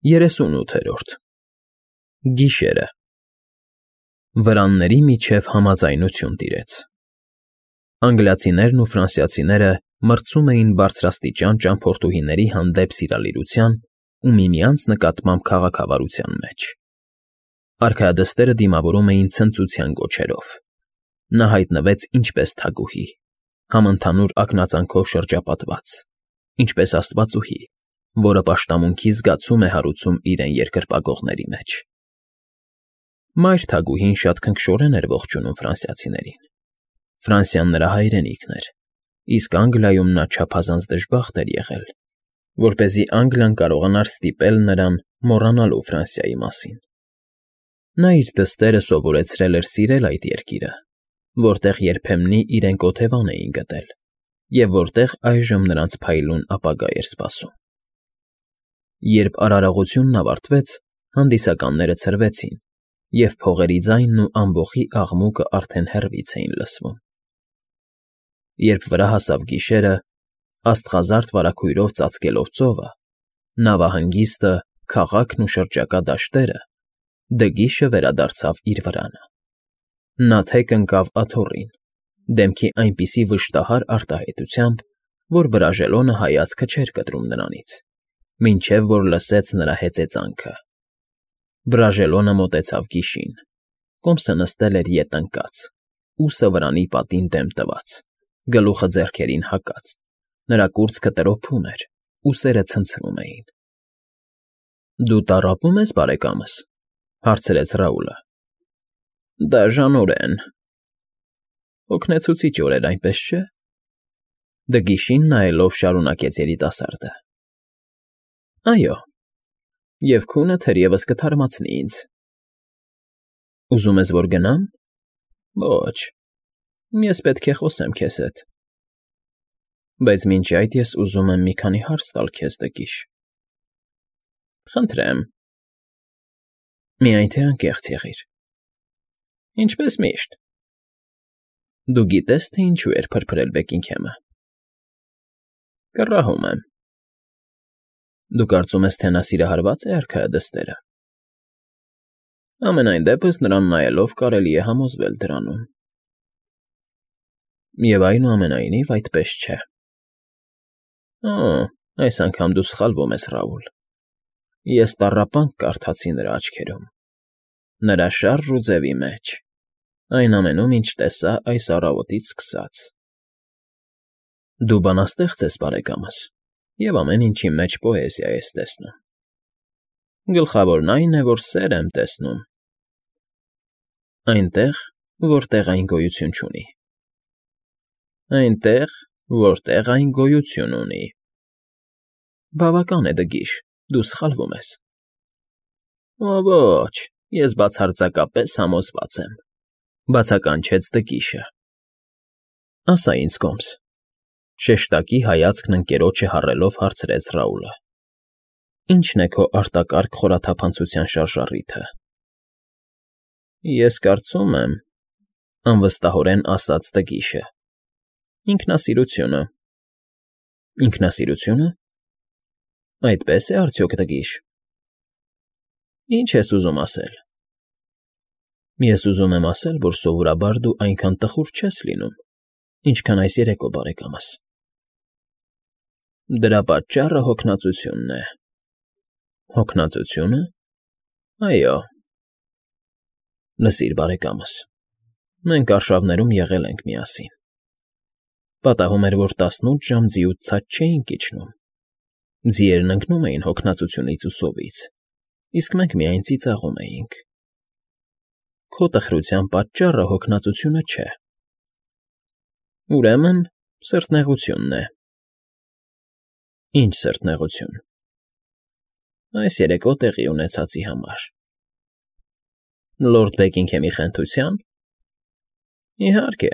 38-րդ Գիշերը Վրանների միջև համաձայնություն տիրեց։ Անգլիացիներն ու ֆրանսիացիները մրցում էին բարձրաստիճան ճամփորդուհիների հանդեպ սիրալիրության ու միմյանց նկատմամբ քաղաքավարության մեջ։ Արքայադստերը դիմավորում էին ցնծության գոչերով։ Նա հայտնվեց ինչպես թագուհի, համընդհանուր ակնածանքով շրջապատված, ինչպես աստվածուհի, որը պաշտամունքի զգացում է հարուցում իրեն երկրպագողների մեջ։ Մայր թագուհին շատ քնքշորեն էր ողջունում ֆրանսիացիներին։ Ֆրանսիան նրա հայրենիքն էր, իսկ Անգլիայում նա չափազանց դժբախտ էր եղել, որպեսզի Անգլիան կարողանար ստիպել նրան մոռանալու Ֆրանսիայի մասին։ Նա իր դստերը սովորեցրել էր սիրել այդ երկիրը, որտեղ երբեմնի իրենք օթևան էին գտել, և որտեղ այժմ նրանց փայլուն ապագա էր սպասում։ Երբ արարողությունն ավարտվեց, հանդիսականները ցրվեցին, և փողերի ձայնն ու ամբոխի աղմուկը արդեն հեռվից էին լսվում։ Երբ վրա հասավ գիշերը, աստղազարդ վարագույրով ծածկելով ծովը, նավահանգիստը, քաղաքն ու շրջակա դաշտերը, Դգիշը վերադարձավ իր վրանը։ Նա թեք ընկավ աթոռին, դեմքի այնպիսի վշտահար արտահայտությամբ, որ Բրաժելոնը հայացքը չէր կտրում նրանից, մինչև որ լսեց նրա հեծեծանքը։ Բրաժելոնը մոտեցավ գիշին, կոմսը նստել էր ետ ընկած, ուսը վրանի պատին դեմ տված, գլուխը ձեռքերին հակած, նրա կուրծքը տրոփում էր, ուսերը ցնցվում էին։ Դու տառապում ես, բարեկամս, հարցրեց Ռաուլը։ Դաժանորեն։ Օգնեցուցիչ օրեր, այնպես չէ։ Դգիշին նայելով շարունակեց երիտասարդը։ Այո, և քունը թերևս կթարմացնի ինձ։ Ուզում ես, որ գնամ։ Ոչ, ես պետք է խոսեմ քեզ հետ։ Բայց մինչ այդ ես ուզում եմ մի քանի հարց տալ քեզ, Դգիշ։ Խնդրեմ։ Միայն թե անկեղծ եղիր։ Ինչպես միշտ։ Դու գիտես, թե ինչու էր փրփրել Բեկինգհեմը։ Կռահում եմ։ Դու կարծում ես, թե նա սիրահարված է արքայադստերը։ Համենայն դեպս նրան նայելով կարելի է համոզվել դրանում։ Եվ այնուամենայնիվ այդպես չէ։ Այս անգամ դու սխալվում ես, Ռաուլ։ Ես տառապանք կարդացի նրա աչքերում, նրա շարժ ու ձևի մեջ, այն ամենում, ինչ տեսա այս առավոտից սկսած։ Դու բանաստեղծ ես, բարեկամս, և ամեն ինչի մեջ պոեզիա ես տեսնում։ Գլխավորն այն է, որ սեր եմ տեսնում։ Այնտեղ, որտեղ այն գոյություն չունի։ Այնտեղ, որտեղ այն գոյություն ունի։ Բավական է, Դգիշ, դու սխալվում ես։ Ոչ, ես բացարձակապես համոզված եմ, բացականչեց Դգիշը։ Ասա ինձ, կոմս, շեշտակի հայացքն ընկերոջը հառելով հարցրեց Ռաուլը։ Ի՞նչն է քո արտակարգ խորաթափանցության շարժառիթը։ Ես կարծում եմ, անվստահորեն ասաց Դգիշը, ինքնասիրությունը։ Ինքնասիրությո՞ւնը։ Այդպես է արդյոք, Դգիշ։ Ինչ ես ուզում ասել։ Ես ուզում եմ ասել, որ սովորաբար դու այնքան տխուր չես լինում, ինչքան այս երեկո, բարեկամս։ Դրա պատճառը հոգնածությունն է։ Հոգնածությո՞ւնը։ Այո։ Լսիր, բարեկամս, մենք արշավներում եղել ենք միասին։ Պատահում էր, որ 18 ժամ ձիուց ցած չէինք իջնում։ Ձիերն ընկնում էին հոգնածությունից ու սովից, իսկ մենք միայն ծիծաղում էինք։ Քո տխրության պատճառը հոգնածությունը չէ։ Ուրեմն, սրտնեղությունն է։ Ինչ սրտնեղություն։ Այս երեկո տեղի ունեցածի համար։ Լորդ Բեկինգհեմի խենթության։ Իհարկե։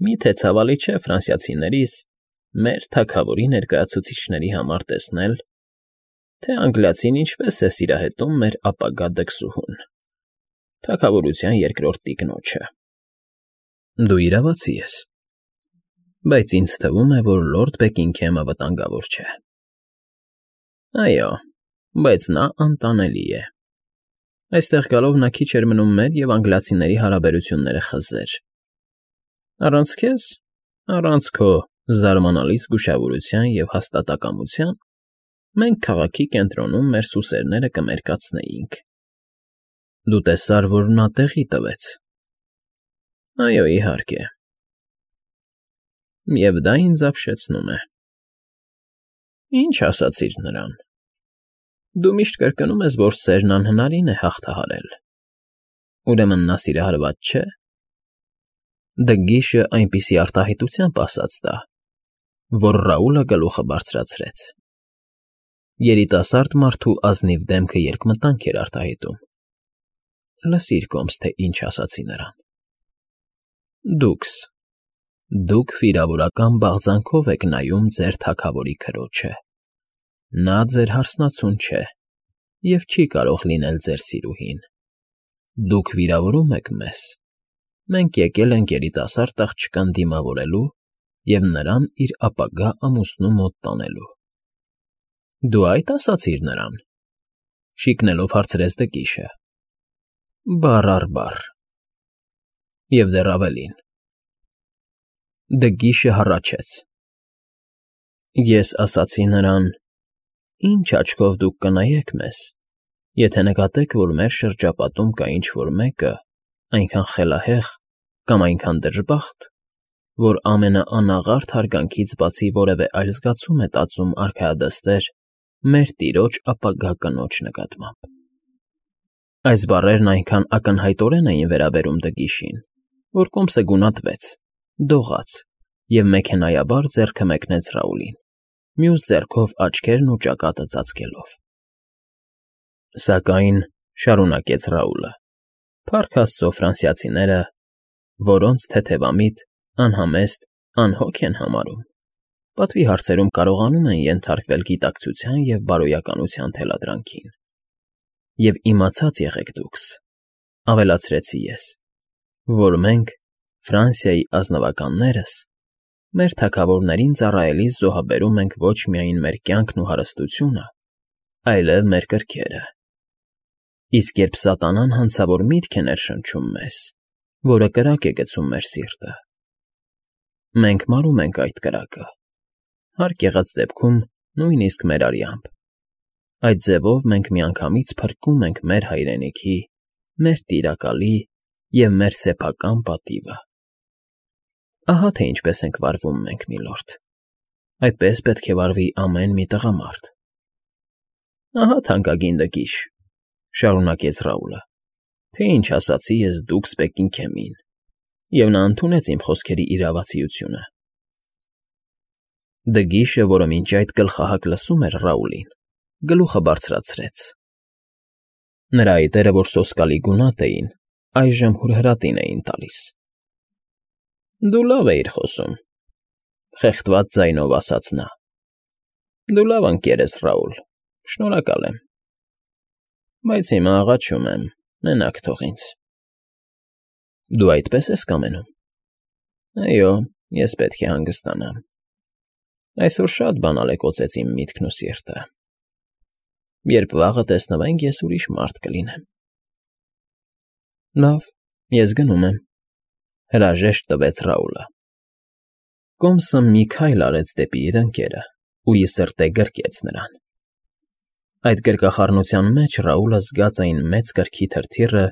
Միթե ցավալի չէ ֆրանսիացիներիս, մեր թագավորի ներկայացուցիչների համար տեսնել, թե անգլիացին ինչպես է սիրահետում մեր ապագա դքսուհուն, թագավորության երկրորդ տիկնոջը։ Դու իրավացի ես, բայց ինձ թվում է, որ Լորդ Բեկինգհեմը վտանգավոր չէ։ Այո, բայց նա անտանելի է։ Այստեղ գալով նա քիչ էր մնում մեր և անգլիացիների հարաբերությունները խզեր։ Առանց քեզ, առանց քո զարմանալի զգուշավորության և հաստատակամության, մենք քաղաքի կենտրոնում մեր սուսերները կմերկացնեինք։ Դու տեսար, որ նա տեղի տվեց։ Այո, իհարկե։ Եվ դա ինձ ապշեցնում է։ Ինչ ասացիր նրան։ Դու միշտ կրկնում ես, որ սերն անհնարին է հաղթահարել։ Ուրեմն նա սիրահարված չէ։ Դգիշը այնպիսի արտահայտությամբ ասաց դա, որ Ռաուլը գլուխը բարձրացրեց։ Երիտասարդ մարդու ազնիվ դեմքը երկմտանք էր արտահայտում։ Լսիր կոմս, թե ինչ ասացի նրան։ Դուք վիրավորական բաղձանքով եք նայում ձեր թագավորի քրոջը։ Նա ձեր հարսնացուն չէ և չի կարող լինել ձեր սիրուհին։ Դուք վիրավորում եք մեզ։ Մենք եկել ենք երիտասարդ աղջկան դիմավորելու և նրան իր ապագա ամուսնու մոտ տանելու։ Դու այդ ասացիր նրան, շիկնելով հարցրեց Դգիշը։ Բառ առ բառ։ Եվ դեռ ավելին։ Դգիշը հառաչեց։ Ես ասացի նրան. «Ինչ աչքով դուք կնայեք մեզ, եթե նկատեք, որ մեր շրջապատում կա ինչ֊որ մեկը այնքան խելահեղ կամ այնքան դժբախտ, որ ամենաանաղարտ հարգանքից բացի որևէ այլ զգացում է տածում արքայադստեր մեր տիրոջ ապագա կնոջ նկատմամբ»։ Այս բառերն այնքան ակնհայտորեն էին վերաբերում Դգիշին, որ կոմսը գունատվեց, դողաց և մեքենայաբար ձեռքը մեկնեց Ռաուլին, մյուս ձեռքով աչքերն ու ճակատը ծածկելով։ Սակայն, շարունակեց Ռաուլը, փառք Աստծո ֆրանսիացիները, որոնց թեթևամիտ, անհամեստ, անհոգ են համարում, պատվի հարցերում կարողանում են ենթարկվել գիտակցության և բարոյականության թելադրանքին։ Եվ իմացած եղեք դուքս, ավելացրեցի ես, որ մենք, Ֆրանսիայի ազնվականներս, մեր թագավորներին ծառայելիս զոհաբերում ենք ոչ միայն մեր կյանքն ու հարստությունը, այլև մեր կրքերը։ Իսկ երբ սատանան հանցավոր միտք է ներշնչում մեզ, որը կրակ է գցում մեր սիրտը, մենք մարում ենք այդ կրակը, հարկ եղած դեպքում նույնիսկ մեր արյամբ։ Այդ ձևով մենք միանգամից փրկում ենք մեր հայրենիքի, մեր տիրակալի և մեր սեփական պատիվը։ Ահա թե ինչպես ենք վարվում մենք, միլորդ։ Այդպես պետք է վարվի ամեն մի տղամարդ։ Ահա թանկագին Դգիշ, շարունակեց Ռաուլը, թե ինչ ասացի ես դուքս Բեկինգհեմին, և նա ընդունեց իմ խոսքերի իրավացիությունը։ Դգիշը, որը մինչ այդ գլխահակ լսում էր Ռաուլին, գլուխը բարձրացրեց։ Նրա այտերը, որ սոսկալի գունատ էին, այժմ հուրհրատին էին տալիս։ Դու լավ էիր խոսում, խեղդված ձայնով ասաց նա։ Դու լավ ընկեր ես, Ռաուլ, շնորհակալ եմ։ Բայց հիմա աղաչում եմ, մենակ թող ինձ։ Դու այդպես ես կամենում։ Այո, ես պետք է հանգստանամ։ Այսօր շատ բանալ է կոծեց իմ միտքն ու սիրտը։ Երբ վաղը տեսնվենք, ես ուրիշ մարդ կլինեմ։ Լավ, ես գնում եմ, հրաժեշտ տվեց Ռաուլը։ Կոմսը մի քայլ արեց դեպի իր ընկերը ու ի սրտե գրկեց նրան։ Այդ գրկախառնության մեջ Ռաուլը զգաց այն մեծ կրքի թրթիռը,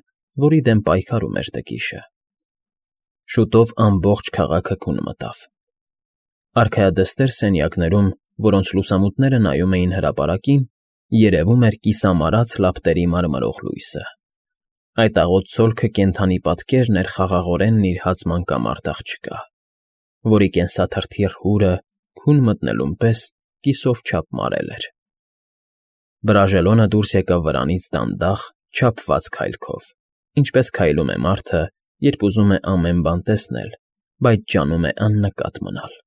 որի դեմ պայքարում էր Դգիշը։ Շուտով ամբողջ քաղաքը քուն մտավ։ Արքայադստեր սենյակներում, որոնց լուսամուտները նայում էին հրապարակին, երևում էր կիսամարած լապտերի մարմրող լույսը։ Այդ աղոտ ցոլքը կենդանի պատկերն էր խաղաղորեն նիրհած մանկամարդ աղջկա, որի կենսաթրթիռ հուրը քուն մտնելուն պես կիսով չափ մարել էր։ Բրաժելոնը դուրս եկավ վրանից դանդաղ, չափված քայլքով, ինչպես քայլում է մարդը, երբ ուզում է ամեն բան տեսնել, բայց ջանում է աննկատ մնալ։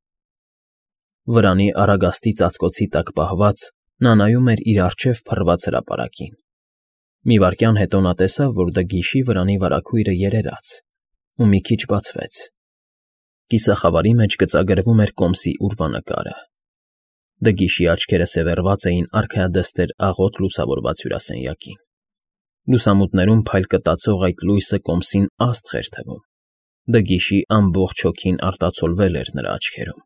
Վրանի առագաստի ծածկոցի տակ պահված՝ նա նայում էր իր առջև փռված հրապարակին։ Մի վայրկյան հետո նա տեսավ, որ Դգիշի վրանի վարագույրը երերաց ու մի քիչ բացվեց։ Կիսախավարի մեջ գծագրվում էր կոմսի ուրվանկարը։ Դգիշի աչքերը սևեռված էին արքայադստեր աղոտ լուսավորված հյուրասենյակին։ Լուսամուտներում փայլ կտացող այդ լույսը կոմսին աստղ էր թվում։ Դգիշի ամբողջ հոգին արտացոլվել էր նրա աչքերում։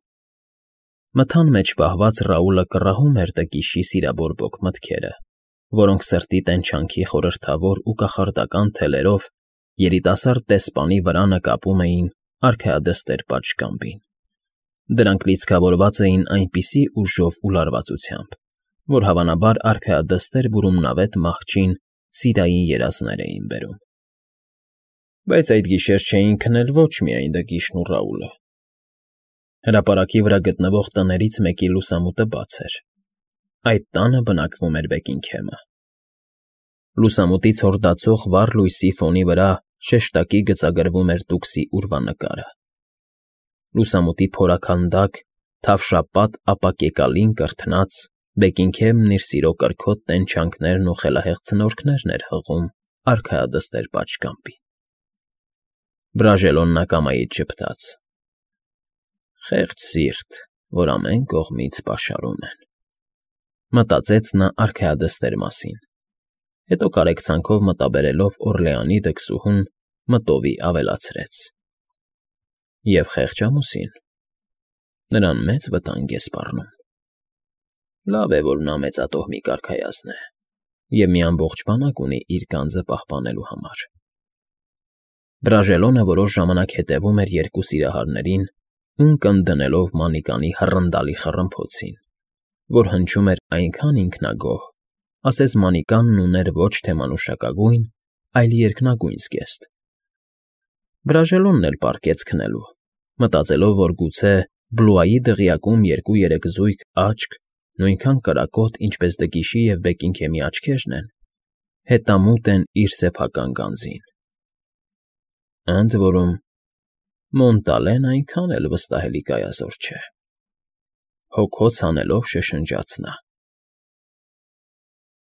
Մթան մեջ պահված Ռաուլը կռահում էր Դգիշի սիրաբորբոք մտքերը, որոնք սրտի տենչանքի խորհրդավոր ու կախարդական թելերով երիտասարդ դեսպանի վրա նկապում էին արքայադստեր պատշգամբին։ Դրանք լիցքավորված էին այնպիսի ուժով ու լարվածությամբ, որ հավանաբար արքայադստեր բուրումնավետ մահճին սիրային երազներ էին բերում։ Բայց այդ գիշեր չէին քնել ոչ միայն Դգիշն ու Ռաուլը։ Հրապարակի վրա գտնվող տներից մեկի լուսամուտը բաց էր։ Այդ տանը բնակվում էր Բեքինգհեմը։ Լուսամուտից հորդացող վառ լույսի ֆոնի վրա շեշտակի գծագրվում էր տուքսի ուրվանկարը։ Լուսամուտի փորաքանդակ, թավշապատ ապակեկալին կրթնած Բեքինգհեմն իր սիրո կրքոտ տենչանքներն ու խելահեղ ցնորքներն էր հղում արքայադստեր պատշգամբին։ Բրաժելոն նակամայից ժպտաց. «Խեղճ սիրտ, որ ամեն կողմից պաշարում են», մտածեց նա արքայադստեր մասին, հետո կարեկցանքով մտաբերելով Օռլեանի դքսուհուն մտովի ավելացրեց. «Եվ խեղճ ամուսին, նրան մեծ վտանգ է սպառնում։ Լավ է, որ նա մեծատոհմիկ արքայազն է և մի ամբողջ բանակ ունի իր գանձը պահպանելու համար»։ Բրաժելոնը որոշ ժամանակ հետևում էր երկու սիրահարներին, ունկն դնելով Մանիկանի հռնդալի խռմփոցին, որ հնչում էր այնքան ինքնագոհ, ասես Մանիկանն ուներ ոչ թե մանուշակագույն, այլ երկնագույն զգեստ։ Բրաժելոնն էլ պառկեց քնելու, մտածելով, որ գուցե Բլուայի դղյակում երկու-երեք զույգ աչք, նույնքան կրակոտ, ինչպես Դգիշի և Բեքինգհեմի աչքերն են, հետամուտ են իր սեփական գանձին։ Ընդ որում, Մոնտալեն այնքան էլ վստահելի գայազոր չէ։ Հոգոց հանելով շշնջաց նա։